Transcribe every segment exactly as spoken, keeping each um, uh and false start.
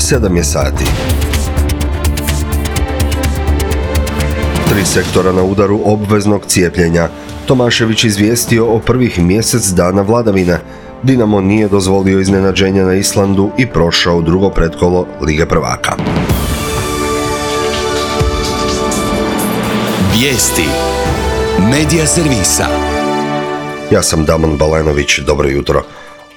sedam je sati. Tri sektora na udaru obveznog cijepljenja. Tomašević izvijestio o prvih mjesec dana vladavine. Dinamo nije dozvolio iznenađenja na Islandu i prošao drugo pretkolo Lige prvaka. Vijesti Medija servisa. Ja sam Damon Balenović, dobro jutro.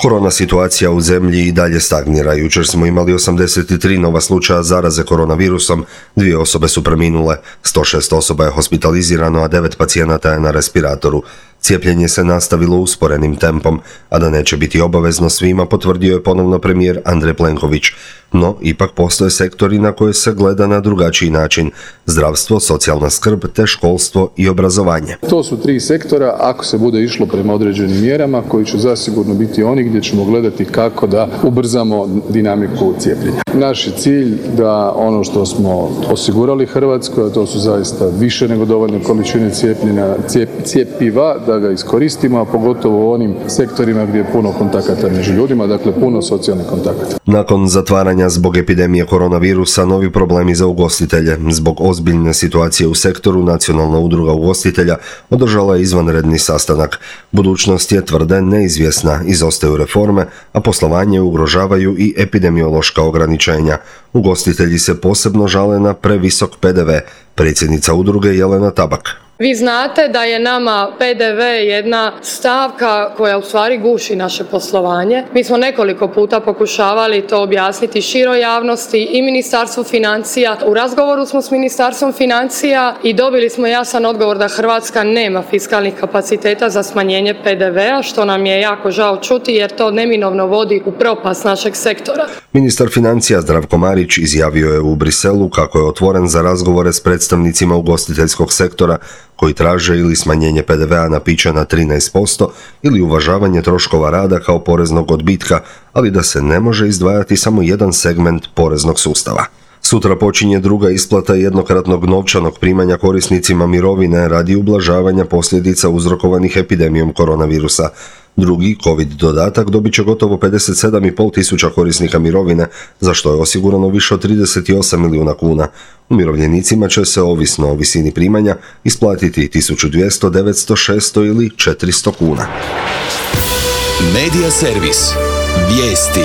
Korona situacija u zemlji i dalje stagnira. Jučer smo imali osamdeset tri nova slučaja zaraze koronavirusom, dvije osobe su preminule, sto šest osoba je hospitalizirano, a devet pacijenata je na respiratoru. Cijepljenje se nastavilo usporenim tempom, a da neće biti obavezno svima, potvrdio je ponovno premijer Andrej Plenković. No, ipak postoje sektori na koje se gleda na drugačiji način: zdravstvo, socijalna skrb te školstvo i obrazovanje. To su tri sektora, ako se bude išlo prema određenim mjerama, koji će zasigurno biti oni gdje ćemo gledati kako da ubrzamo dinamiku cijepljenja. Naš je cilj da ono što smo osigurali Hrvatskoj, a to su zaista više nego dovoljne količine cijepljenja, cijep, cijepiva, da ga iskoristimo, a pogotovo u onim sektorima gdje je puno kontakata među ljudima, dakle puno socijalnih kontakata. Nakon zatvaranja zbog epidemije koronavirusa, novi problemi za ugostitelje. Zbog ozbiljne situacije u sektoru, Nacionalna udruga ugostitelja održala je izvanredni sastanak. Budućnost je, tvrde, neizvjesna, izostaju reforme, a poslovanje ugrožavaju i epidemiološka ograničenja. Ugostitelji se posebno žale na previsok P D V. Predsjednica udruge Jelena Tabak. Vi znate da je nama P D V jedna stavka koja u stvari guši naše poslovanje. Mi smo nekoliko puta pokušavali to objasniti široj javnosti i Ministarstvu financija. U razgovoru smo s Ministarstvom financija i dobili smo jasan odgovor da Hrvatska nema fiskalnih kapaciteta za smanjenje P D V-a, što nam je jako žao čuti jer to neminovno vodi u propast našeg sektora. Ministar financija Zdravko Marić izjavio je u Briselu kako je otvoren za razgovore s predstavnicima ugostiteljskog sektora koji traže ili smanjenje P D V-a na piće na trinaest posto ili uvažavanje troškova rada kao poreznog odbitka, ali da se ne može izdvajati samo jedan segment poreznog sustava. Sutra počinje druga isplata jednokratnog novčanog primanja korisnicima mirovine radi ublažavanja posljedica uzrokovanih epidemijom koronavirusa. Drugi COVID dodatak dobit će gotovo pedeset sedam i pol tisuća korisnika mirovine, za što je osigurano više od trideset osam milijuna kuna. Umirovljenicima će se, ovisno o visini primanja, isplatiti tisuću dvjesto, devetsto, šesto ili četiristo kuna. Medija servis. Vijesti.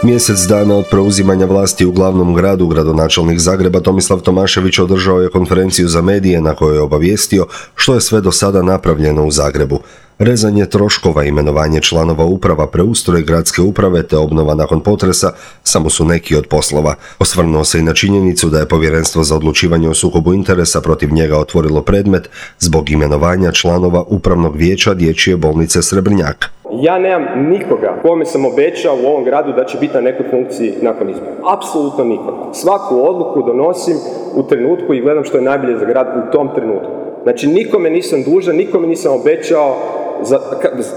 Mjesec dana od preuzimanja vlasti u glavnom gradu, gradonačelnik Zagreba Tomislav Tomašević održao je konferenciju za medije na kojoj je obavijestio što je sve do sada napravljeno u Zagrebu. Rezanje troškova, imenovanje članova uprava, preustroj gradske uprave te obnova nakon potresa samo su neki od poslova. Osvrnuo se i na činjenicu da je Povjerenstvo za odlučivanje o sukobu interesa protiv njega otvorilo predmet zbog imenovanja članova Upravnog vijeća Dječje bolnice Srebrnjak. Ja nemam nikoga kome sam obećao u ovom gradu da će biti na nekoj funkciji nakon izbora. Apsolutno nikoga. Svaku odluku donosim u trenutku i gledam što je najbolje za grad u tom trenutku. Znači nikome nisam dužan, nikome nisam obećao, za,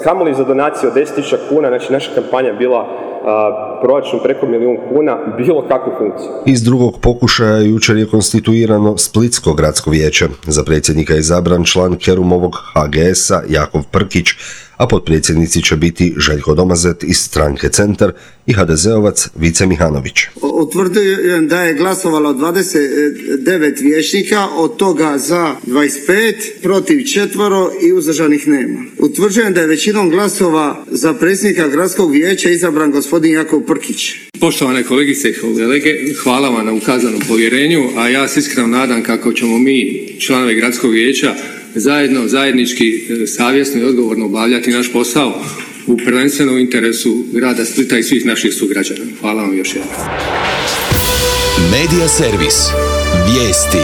kamoli za donaciju od deset tisuća kuna, znači naša kampanja je bila a, proračun preko milijun kuna, bilo kakvu funkciju. Iz drugog pokušaja jučer je konstituirano Splitsko gradsko vijeće. Za predsjednika je izabran član Kerumovog H G S-a Jakov Prkić, a potpredsjednici će biti Željko Domazet iz stranke Centar i ha de zeovac Vice Mihanović. Utvrđujem da je glasovalo dvadeset devet vijećnika, od toga za dvadeset pet, protiv četvoro i uzdržanih nema. Utvrđujem da je većinom glasova za predsjednika gradskog vijeća izabran gospodin Jakov Prkić. Poštovane kolegice i kolege, hvala vam na ukazanom povjerenju, a ja se iskreno nadam kako ćemo mi, članovi gradskog vijeća, zajedno, zajednički, savjesno i odgovorno obavljati naš posao u prvenstvenom interesu grada Splita i svih naših sugrađana. Hvala vam još jednom. Medija servis. Vijesti.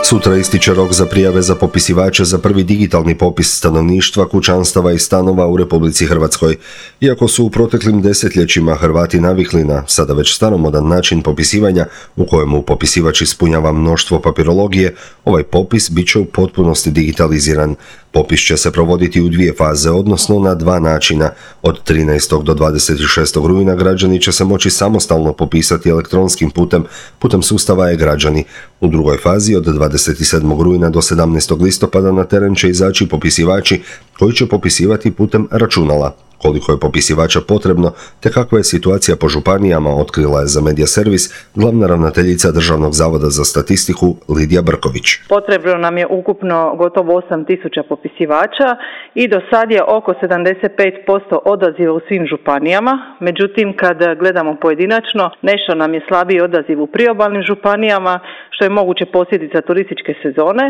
Sutra ističe rok za prijave za popisivače za prvi digitalni popis stanovništva, kućanstava i stanova u Republici Hrvatskoj. Iako su u proteklim desetljećima Hrvati navikli na sada već staromodan način popisivanja u kojemu popisivač ispunjava mnoštvo papirologije, ovaj popis bit će u potpunosti digitaliziran. Popis će se provoditi u dvije faze, odnosno na dva načina. Od trinaestog do dvadeset šestog rujna građani će se moći samostalno popisati elektronskim putem, putem sustava e-građani. U drugoj fazi od dvadeset sedmog rujna do sedamnaestog listopada na teren će izaći popisivači koji će popisivati putem računala. Koliko je popisivača potrebno, te kakva je situacija po županijama, otkrila je za Medija Servis glavna ravnateljica Državnog zavoda za statistiku Lidija Brković. Potrebno nam je ukupno gotovo osam tisuća popisivača i do sad je oko sedamdeset pet posto odaziva u svim županijama. Međutim, kad gledamo pojedinačno, nešto nam je slabiji odaziv u priobalnim županijama, što je moguće posljedica turističke sezone.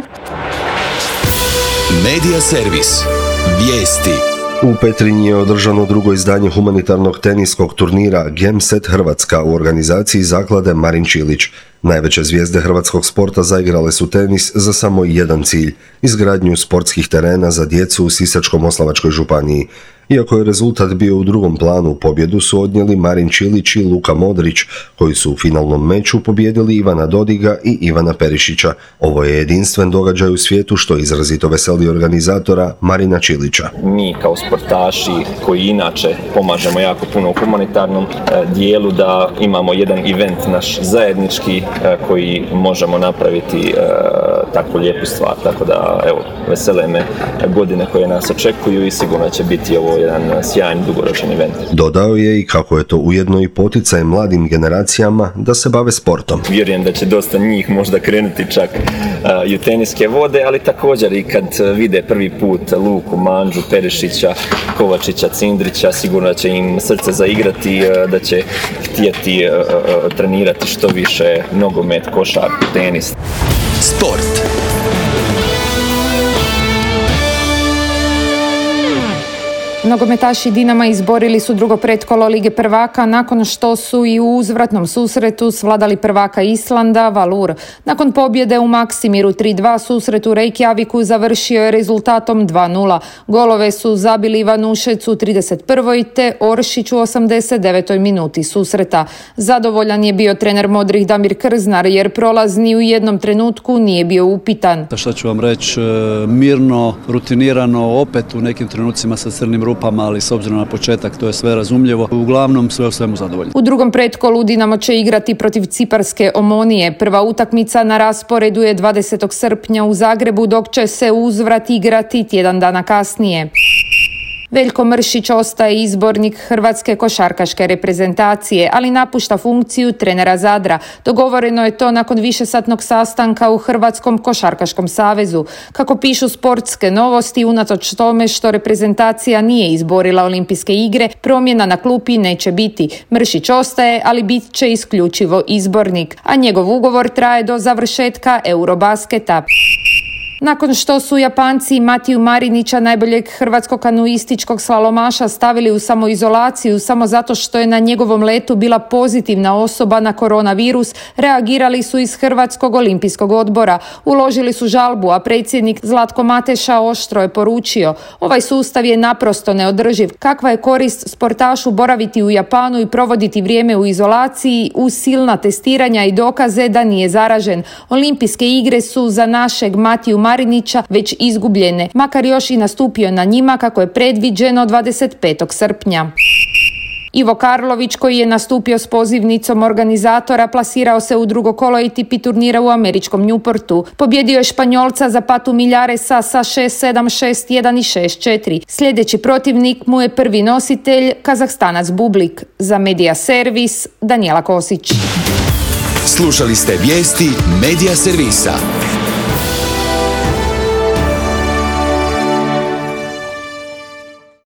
Medija Servis. Vijesti. U Petrinji je održano drugo izdanje humanitarnog teniskog turnira Gemset Hrvatska u organizaciji zaklade Marin Čilić. Najveće zvijezde hrvatskog sporta zaigrale su tenis za samo jedan cilj – izgradnju sportskih terena za djecu u Sisačko-moslavačkoj županiji. Iako je rezultat bio u drugom planu, pobjedu su odnijeli Marin Čilić i Luka Modrić, koji su u finalnom meču pobijedili Ivana Dodiga i Ivana Perišića. Ovo je jedinstven događaj u svijetu što izrazito veseli organizatora Marina Čilića. Mi kao sportaši koji inače pomažemo jako puno u humanitarnom dijelu, da imamo jedan event naš zajednički koji možemo napraviti takvu lijepu stvar. Tako da, evo, vesele me godine koje nas očekuju i sigurno će biti ovo jedan sjajan dugoročan event. Dodao je i kako je to ujedno i poticaj mladim generacijama da se bave sportom. Vjerujem da će dosta njih možda krenuti čak uh, i u teniske vode, ali također i kad vide prvi put Luku, Manđu, Perišića, Kovačića, Cindrića, sigurno će im srce zaigrati, uh, da će htjeti uh, uh, trenirati što više nogomet, košarku, tenis. Sport. Nogometaši Dinama izborili su drugo pretkolo Lige prvaka nakon što su i u uzvratnom susretu svladali prvaka Islanda, Valur. Nakon pobjede u Maksimiru tri dva susret u Reykjaviku završio je rezultatom dva nula. Golove su zabili Ivanušec u trideset prvoj te Oršić u osamdeset devetoj minuti susreta. Zadovoljan je bio trener modrih Damir Krznar jer prolaz ni u jednom trenutku nije bio upitan. Šta ću vam reći, mirno, rutinirano, opet u nekim trenucima sa crnim rupama, ali s obzirom na početak to je sve razumljivo. Uglavnom sve u svemu zadovoljni. U drugom pretkolu Dinamo će igrati protiv ciparske Omonije. Prva utakmica na rasporedu je dvadesetog srpnja u Zagrebu, dok će se uzvrat igrati tjedan dana kasnije. Veljko Mršić ostaje izbornik hrvatske košarkaške reprezentacije, ali napušta funkciju trenera Zadra. Dogovoreno je to nakon višesatnog sastanka u Hrvatskom košarkaškom savezu. Kako pišu sportske novosti, unatoč tome što reprezentacija nije izborila olimpijske igre, promjena na klupi neće biti. Mršić ostaje, ali bit će isključivo izbornik, a njegov ugovor traje do završetka Eurobasketa. Nakon što su Japanci Matiju Marinića, najboljeg hrvatskog kanuističkog slalomaša, stavili u samoizolaciju samo zato što je na njegovom letu bila pozitivna osoba na koronavirus, reagirali su iz Hrvatskog olimpijskog odbora. Uložili su žalbu, a predsjednik Zlatko Mateša oštro je poručio: ovaj sustav je naprosto neodrživ. Kakva je korist sportašu boraviti u Japanu i provoditi vrijeme u izolaciji uz silna testiranja i dokaze da nije zaražen? Olimpijske igre su za našeg Matiju Marinića već izgubljene, makar još i nastupio na njima kako je predviđeno dvadeset petog srpnja. Ivo Karlović, koji je nastupio s pozivnicom organizatora, plasirao se u drugo kolo A T P turnira u američkom Newportu. Pobjedio je Španjolca Zapatu Millaresa sa šest sedam, šest jedan i šest četiri. Sljedeći protivnik mu je prvi nositelj, Kazahstanac Bublik. Za Medija Servis, Danijela Kosić. Slušali ste vijesti Medija Servisa.